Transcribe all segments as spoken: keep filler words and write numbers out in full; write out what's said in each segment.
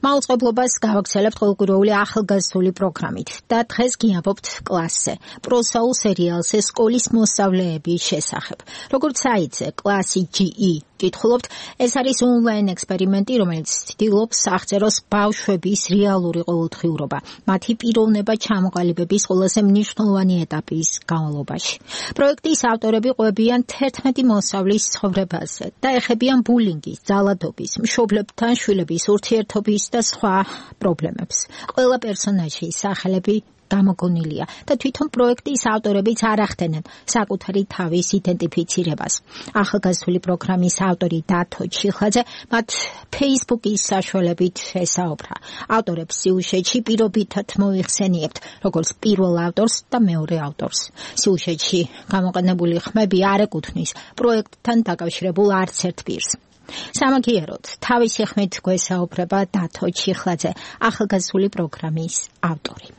მაუწყებლობას გავაგრძელებთ ყოველკვირეული ახალგაზრდული პროგრამით და დღეს გიამბობთ კლასზე, პროსაულ სერიალზე სკოლის მოსწავლეების შესახებ. როგორც საიტზე კლასი ჯი ი კითხულობთ, ეს არის ონლაინ ექსპერიმენტი, რომელიც ცდილობს აღწეროს ბავშვების რეალური ყოველდღიურობა, მათი პიროვნება ჩამოყალიბების ყველაზე მნიშვნელოვანი ეტაპის განმავლობაში. პროექტის ავტორები ყვებიან თერთმეტი მოსწავლის ცხოვრებაზე და ეხებიან ბულინგის, ძალადობის, მშობლებთან შვილების ურთიერთობის და სხვა პრობლემებს. ყველა პერსონაჟის სახელები გამოგონილია და თვითონ პროექტის ავტორებიც არ ახდენენ საკუთარი თავის იდენტიფიცირებას. ახალგაზრდული პროგრამის ავტორი დათო ჩიხლაძე მათ Facebook-ის საშუალებით ესაუბრა. ავტორებს სიუჟეტში პირობითად მოიხსენიებთ, როგორც პირველ ავტორს და მეორე ავტორს. სიუჟეტში გამოყენებული ხმები არ ეკუთვნის პროექტთან დაკავშირებულ არც ერთ პირს. სამაგიეროდ, თავისი ხმით გვესაუბრება დათო ჩიხლაძე, ახალგაზრდული პროგრამის ავტორი.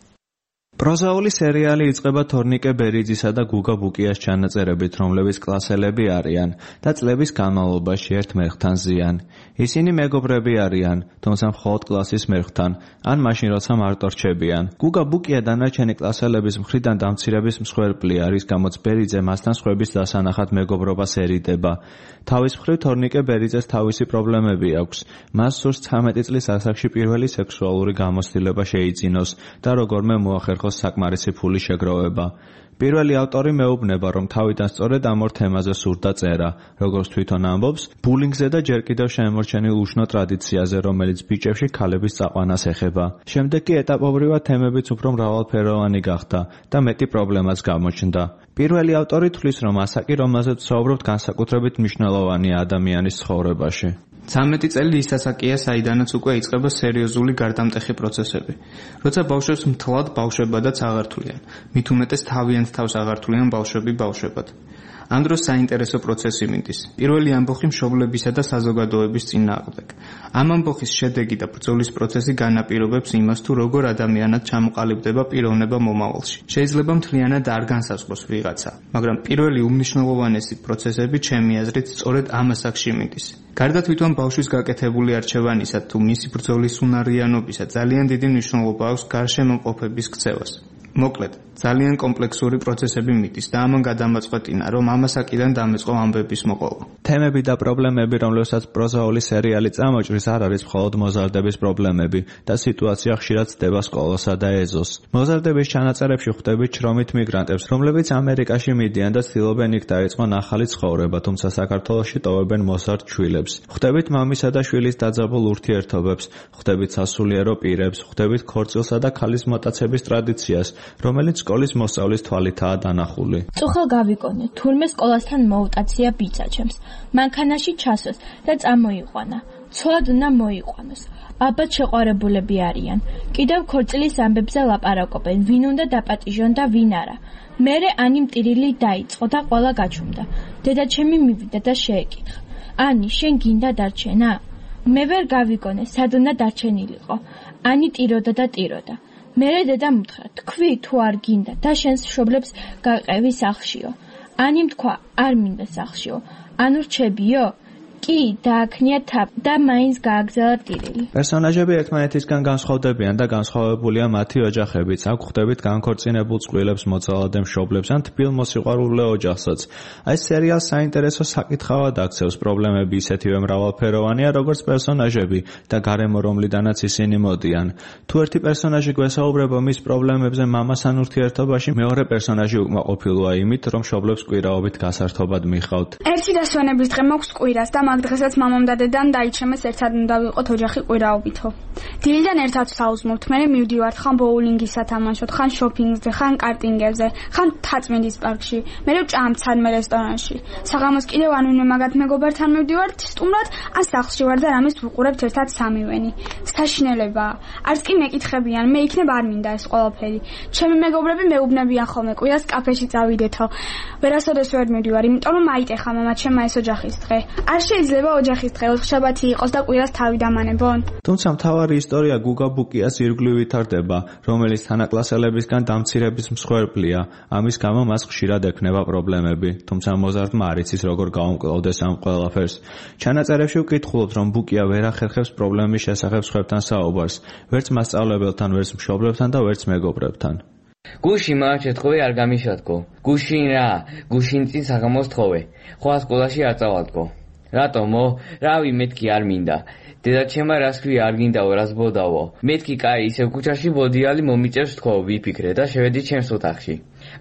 პროზაული სერიალი იწყება თორნიკე ბერიძისა და გუგა ბუკიას ჩანაწერებით, რომლებიც კლასელები არიან და წლების განმავლობაში ერთ მერხთან ზიან. ისინი მეგობრები არიან, თუმცა მხოლოდ კლასის მერხთან, ან მაშინ როცა მარტო რჩებიან. გუგა ბუკია დანარჩენი კლასელების მხრიდან დამცირების მსხვერპლი არის, გამოც ბერიძე მასთან სხვების დასანახად მეგობრობას ერიდება. თავის მხრივ თორნიკე ბერიძეს თავისი პრობლემები აქვს. მას სურს ცხრამეტი წლის ასაკში პირველი სექსუალური გამოცდილება შეიძინოს და როგორმე მოახერხოს საკმარისი ფული შეგროვება. პირველი ავტორი მეუბნება, რომ თავიდან სწორედ ამ ორ თემაზე სურდა წერა, როგორც თვითონ ამბობს, ბულინგზე და ჯერ კიდევ შემორჩენილ უშნო ტრადიციაზე, რომელიც ბიჭებში ქალების წაყვანას ეხება. შემდეგ კი ეტაპობრივად თემებიც უფრო მრავალფეროვანი გახდა და მეტი პრობლემაც გამოჩნდა. პირველი ავტორი თვლის, რომ ასაკი, რომელზეც ვსაუბრობთ, განსაკუთრებით მნიშვნელოვანია ადამიანის ცხოვრებაში. ცამეტი წელი ის ასაკია, საიდანაც უკვე იწყება სერიოზული გარდამტეხი პროცესები. როცა ბავშვებს მთლად ბავშვებადაც აღართულიან, მით უმეტეს თავიანთ თავს აღართულიან ბავშვები ბავშვებად. ამ დროს საინტერესო პროცესი მიდის. პირველი ამბოხი მშობლებისა და საზოგადოების წინააღმდეგ. ამ ამბოხის შედეგი და ბრძოლის პროცესი განაპირობებს იმას, თუ როგორ ადამიანად ჩამოყალიბდება პიროვნება მომავალში. შეიძლება მთლიანად არ განსაზღვროს ვიღაცა, მაგრამ პირველი უმნიშვნელოვანესი პროცესები ჩემი აზრით სწორედ ამ ასაკში მიდის. გარდა თვითონ ბავშვის გაკეთებული არჩევანისა თუ მისი ბრძოლის უნარიანობისა, ძალიან დიდი მნიშვნელობა აქვს გარშემოყოფების ქცევას. მოკლედ, ძალიან კომპლექსური პროცესები მიდის და ამან გადამაწყვეტინა, რომ ამ ასაკიდან დამეწყო ამბების მოყოლა. თემები და პრობლემები, რომლებსაც პროზაული სერიალი წამოჭრის, არ არის მხოლოდ მოზარდების პრობლემები და სიტუაცია ხშირად ცდება სკოლასა და ეზოს. მოზარდების ჩანაწერებში ხვდებით შრომით მიგრანტებს, რომლებიც ამერიკაში მიდიან და ცდილობენ იქ დაიწყონ ახალი ცხოვრება, თუმცა საქართველოში ტოვებენ მოსარდ შვილებს. ხვდებით მამისა და შვილის დაძაბულ ურთიერთობებს, ხვდებით სასულიერო პირებს, ხვდებით ქორწილსა და ქალის მოტაცების ტრადიციას, რომელიც სკოლის მოსწავლის თვალითაა დანახული. წუხელ გავიკონე, თურმე სკოლასთან მოუტაცია ბიძა ჩემს. მანქანაში ჩასვეს და წამოიყვანა. ცოლად უნდა მოიყვანოს. ალბათ შეყვარებულები არიან. კიდევ ქორწილის ამბებზე ლაპარაკობენ, ვინ უნდა დაპატიჟონ და ვინ არა. მერე ანი მტირილი დაიწყო და ყველა გაჩუმდა. დედაჩემი მივიდა და შეეკითხა. ანი, შენ გინდა დარჩენა? მე ვერ გავიგონე, სად უნდა დარჩენილიყო. ანი ტიროდა და ტიროდა. მერე დედამ უთხრა, თქვი თუ არ გინდა და შენს მშობლებს გაყევი სახლშიო. ანიმ თქვა, არ მინდა სახლშიო. ანუ რჩებიო? კი, დააქნია თაფ და მაინც გააგზავნა ტირილი. პერსონაჟები ერთმანეთისგან განსხვავდებიან და განსხვავებულია მათი ოჯახებიც. აქ ხვდებით განქორწინებულ წყვილებს, მოძალადე მშობლებს ან თბილ მოსიყვარულე ოჯახსაც. აი სერიალს საინტერესო საკითხავად აქცევს, პრობლემები ისეთივე მრავალფეროვანია, როგორც პერსონაჟები და გარემო, რომლიდანაც ისინი მოდიან. თუ ერთი პერსონაჟი გვესაუბრება მის პრობლემებზე მამასთან ურთიერთობაში, მეორე პერსონაჟი უკმაყოფილოა იმით, რომ მშობლებს კვირაობით გასართობად მიხავთ. ერთი დასვენების დღე მოქვს კვირას და მაგ დღესაც მამამ და დედამ დაიჩემეს ერთად უნდა ვიყოთ ოჯახი კვირაობითო. დილიდან ერთად ვსაუზმობთ, მერე მივდივართ ხან ბოულინგის სათამაშოდ, ხან შოპინგზე, ხან კარტინგებზე, ხან თაწმინდის პარკში, მერე ვჭამთ სადმე რესტორანში. საღამოს კიდევ ან ვინმე მაგათ მეგობართან მივდივართ სტუმრად, ან სახლში ვარ და რამეს ვუყურებთ ერთად სამივენი. საშინელებაა. არც კი მეკითხებიან, მე იქნებ არ მინდა ეს ყველაფერი. ჩემი მეგობრები მეუბნებიან ხოლმე კვირას კაფეში წავიდეთო. ვერასოდეს ვერ მივდივარ, იმიტომ რომ აიტეხა მამა ჩემმა ეს ოჯახის დღე. არ შეიძლება შეიძლება ოჯახის დღე ოთხშაბათი იყოს და კვირას თავი დამანებონ. თუმცა მთავარი ისტორია გუგა ბუკიას ირგვლივ ვითარდება, რომელიც თანაკლასელებისგან დამცირების მსხვერპლია. ამის გამო მას ხშირად ექნება პრობლემები, თუმცა მოზარდმა არ იცის როგორ გაუმკლავდეს ამ ყველაფერს. ჩანაწერებში ვკითხულობთ, რომ ბუკია ვერ ახერხებს პრობლემის შესახებ სხვებთან საუბარს, ვერც მასწავლებელთან, ვერც მშობლებთან და ვერც მეგობრებთან. გუშინ მაჩეთხოვე არ გამიშატკო. გუშინ რა, გუშინ წინ საღამოს თხოვე. ხვალ სკოლაში არ წავალდკო. რატომო? რავი, მეთქი არ მინდა. დედაჩემმა რას ქვია არ გინდაო, რას ბოდავო. მეთქი კაი, ისევ ქუჩაში ბოდიალი მომიწევს თქო, ვიფიქრე და შევედი ჩემს ოთახში.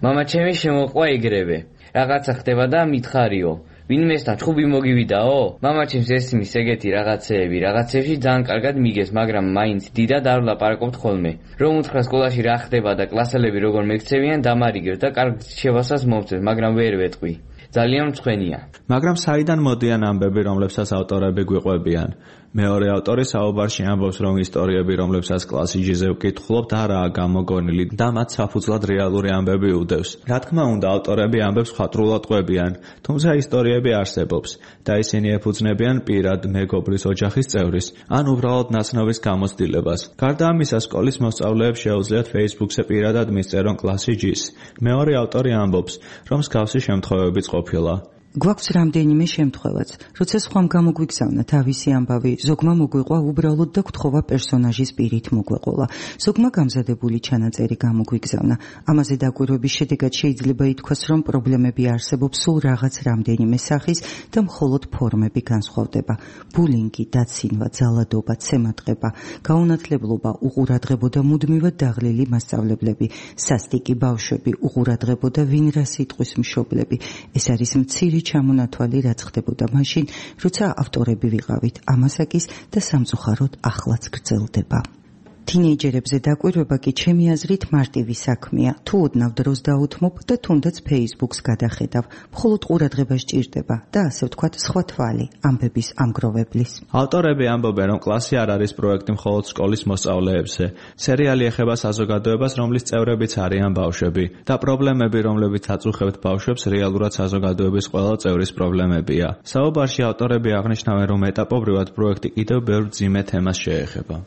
მამაჩემი შემოყვა ეგრევე. რაღაცა ხდება და მითხარიო. ვინმესთან ჭუბი მოგივიდაო? მამაჩემს ესმის ეგეთი რაღაცეები, რაღაცებში ძალიან კარგად მიგეს, მაგრამ მაინც დიდად არ ვლაპარაკობთ ხოლმე. რომ უთხრა სკოლაში რა ხდება და კლასელები როგორ მეკცევიან, დამარიგებს და კარგ შევასას მომწევს, მაგრამ ვერ ვეტყვი. ძალიან მწვენია. მაგრამ საიდან მოდიან ამბები, რომლებსაც ავტორები გვიყვებიან? მეორე ავტორი საუბარში ამბობს, რომ ისტორიები, რომლებსაც კლასიჯიზე ვკითხულობთ, არაა გამოგონილი და მათ საფუძვლად რეალური ამბები უდევს. რა თქმა უნდა, ავტორები ამბებს ხატრულად ყვებიან, თუმცა ისტორიები არსებობს და ისინი ეფუძნებიან პირად, მეგობრის, ოჯახის წევრის, ან უბრალოდ ნაცნობის გამოცდილებას. გარდა ამისა, სკოლის მოსწავლეებს შეუძლიათ Facebook-ზე პირადად მისწერონ კლასიჯის. მეორე ავტორი ამბობს, რომ მსგავსი შემთხვევებიც ყოფილა. გვაქვს რამდენიმე შემთხვევაც, როცა სხვამ გამოგვიგზავნა თავისი ამბავი, ზოგმა მოგვიყვა უბრალოდ და გთხოვა პერსონაჟის პირით მოგვეყოლა. ზოგმა გამზადებული ჩანაწერი გამოგვიგზავნა. ამაზე დაკვირვების შედეგად შეიძლება ითქვას, რომ პრობლემები არსებობს სულ რაღაც რამდენიმე სახის და მხოლოდ ფორმები განსხვავდება. ბულინგი, დაცინვა, ძალადობა, ცემატყება, გაუნათლებლობა, უყურადღებო და მუდმივად დაღლილი მასწავლებლები, სასტიკი ბავშვები, უყურადღებო და ვინ რა სიტყვის მშობლები. ეს არის მცირე ჩამონათვალი, რაც ხდებოდა მაშინ, როცა ავტორები ვიყავით ამასაკის და სამწუხაროდ ახლაც გრძელდება. თინეიჯერებზე დაკვირვება კი ჩემი აზრით მარტივი საქმეა. თუ ოდნავ დროს დაუთმობ და თუნდაც Facebook-ს გადახედავ, მხოლოდ ყურადღება სჭირდება და ასე ვთქვათ სხვა თვალი ამბების ამგროვებლის. ავტორები ამბობენ, რომ კლასი არ არის პროექტი მხოლოდ სკოლის მოსწავლეებზე. სერიალი ეხება საზოგადოებას, რომლის წევრებიც არიან ბავშვები და პრობლემები, რომლებიც აწუხებთ ბავშვებს, რეალურად საზოგადოების ყველა წევრის პრობლემებია. საუბარში ავტორები აღნიშნავენ, რომ ეტაპობრივად პროექტი კიდევ ბევრ მძიმე თემას შეეხება.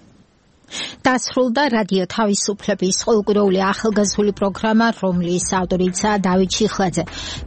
დასრულდა რადიო თავისუფლების ყოველკვირეული ახალგაზრდული პროგრამა, რომლის ავტორიცაა დავით ჩიხლაძე.